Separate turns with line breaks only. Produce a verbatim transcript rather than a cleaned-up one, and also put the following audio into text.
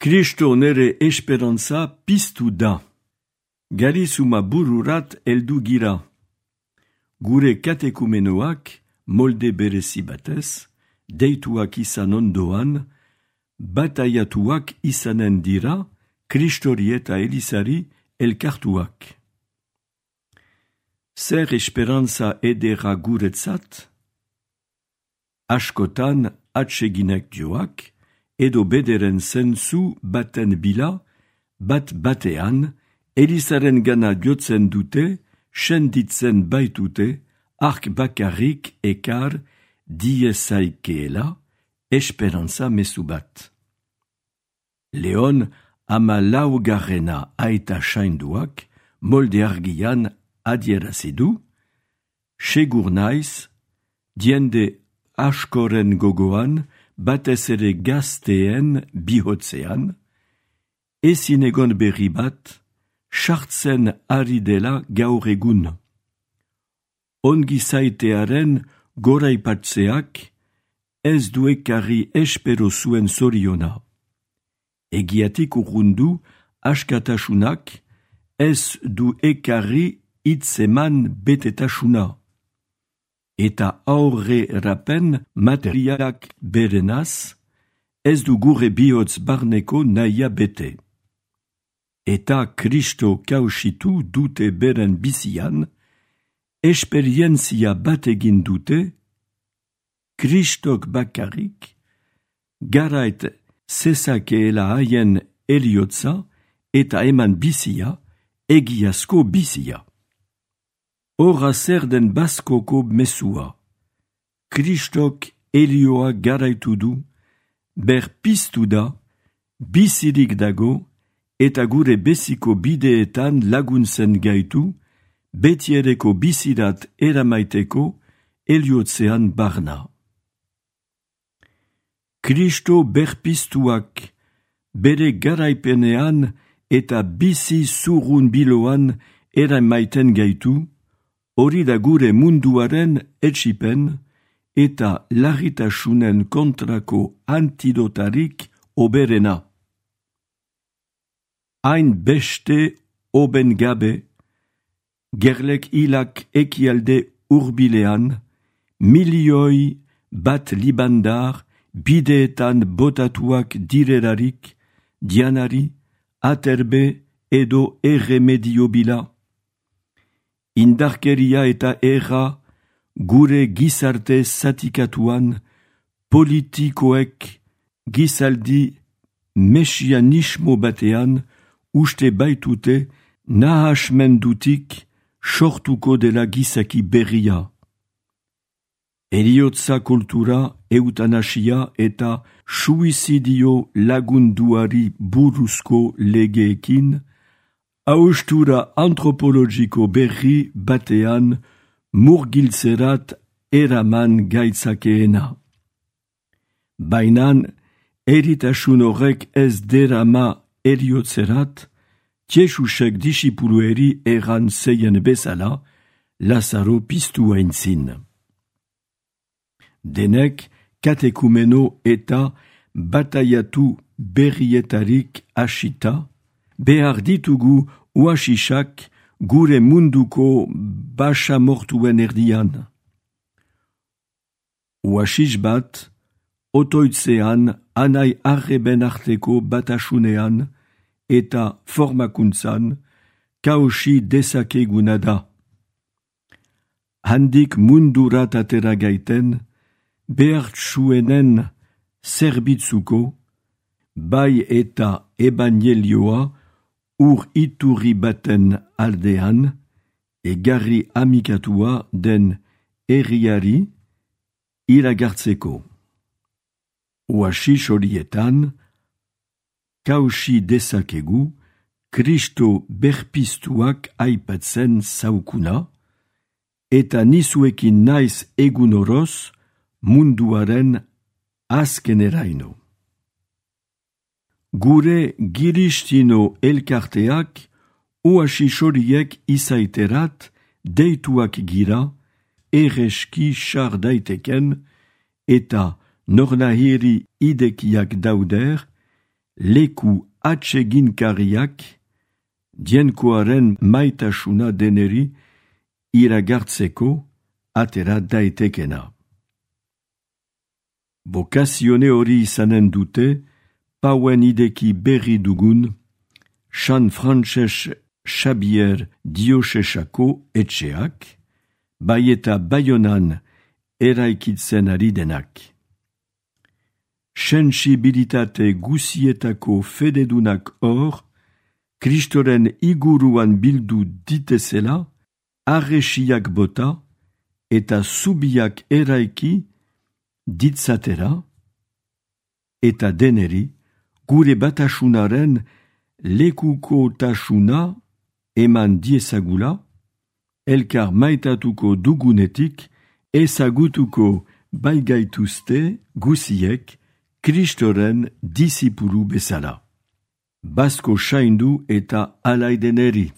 Kristo nere esperantza piztu da. Garizuma bururat heldu gira. Gure katekumenoak, molde berezi batez, deituak izan ondoan, bataiatuak izanen dira, Kristori eta Elizari elkartuak. Zer esperantza edera guretzat? Askotan atseginek joak, edo bederen zentzu baten bila, bat batean, Elizaren gana jotzen dute, senditzen baitute, ark bakarrik ekar diezaikeela, esperantza mezu bat. Leon ama laugarrena aita sainduak, molde argian adierazidu, segur naiz, diende askoren gogoan, batez ere gazteen bihotzean, ezin egon berri bat, sartzen ari dela gaur egun. Ongi zaitearen goraipatzeak ez du ekarri espero zuen zoriona. Egiatik urrundu askatasunak ez du ekarri hitzeman betetasuna. Eta aurre rapen materialak berenaz, ez du gure bihotz barneko nahia bete. Eta Kristo kausitu dute beren bizian, esperientzia bat egin dute, Kristok bakarrik, garait zezakeela haien heliotza eta eman bizia, egiazko bizia. Horra zer den baskoko mesua. Kristok helioa garaitu du, berpiztu da, bizirik dago, eta gure beziko bideetan laguntzen gaitu, betiereko bizirat eramaiteko heliotzean barna. Kristo berpiztuak, bere garaipenean eta bizi zurrun biloan eramaiten gaitu, hori da gure munduaren etsipen eta larritasunen kontrako antidotarik oberena. Hain beste oben gabe, gerlek hilak ekialde urbilean, milioi bat libandar bideetan botatuak direrarik, dianari, aterbe edo erremedio bila. Indarkeria eta erra gure gizarte zatikatuan, politikoek gizaldi mesianismo batean uste baitute nahasmendutik sortuko dela gizaki berria. Heliotza kultura, eutanasia eta suizidio lagunduari buruzko legeekin, haustura antropologiko berri batean murgiltzerat eraman gaitzakeena. Bainan, eritasun horrek ez derama heliotzerat, Tiesusek disipulueri eran zeien bezala, Lazaro piztu aintzin. Denek katekumeno eta bataiatu berrietarik hasita, behar ditugu uasisak gure munduko basamortuen erdian. Uasis bat, otoitzean anai arreben arteko batasunean eta formakuntzan kausi dezakeguna da. Handik mundurat atera gaiten, behartsuenen zerbitzuko, bai eta ebanjelioa ur iturri baten aldean, egarri amikatua den herriari iragartzeko. Uasis horietan, kausi dezakegu, Kristo berpiztuak aipatzen zaukuna, eta nizuekin naiz egun oroz munduaren azkeneraino. Gure giristino elkarteak uasis horiek izaiterat deituak gira, erreski sar daiteken, eta nornahiri idekiak dauder, leku atseginkariak, dienkoaren maitasuna deneri iragartzeko atera daitekena. Bokazione hori izanen dute, pauen ideki berri dugun, San Frantses Xabier Diosesako etxeak, bai eta Baionan eraikitzen ari denak. Sensibilitate guzietako fededunak hor, Kristoren iguruan bildu ditezela, arresiak bota eta zubiak eraiki ditzatera, eta deneri gure batasunaren lekuko tasuna eman diezagula, elkar maitatuko dugunetik ezagutuko baigaituzte guziek Kristoren disipulu bezala. Basko saindu eta alaideneri.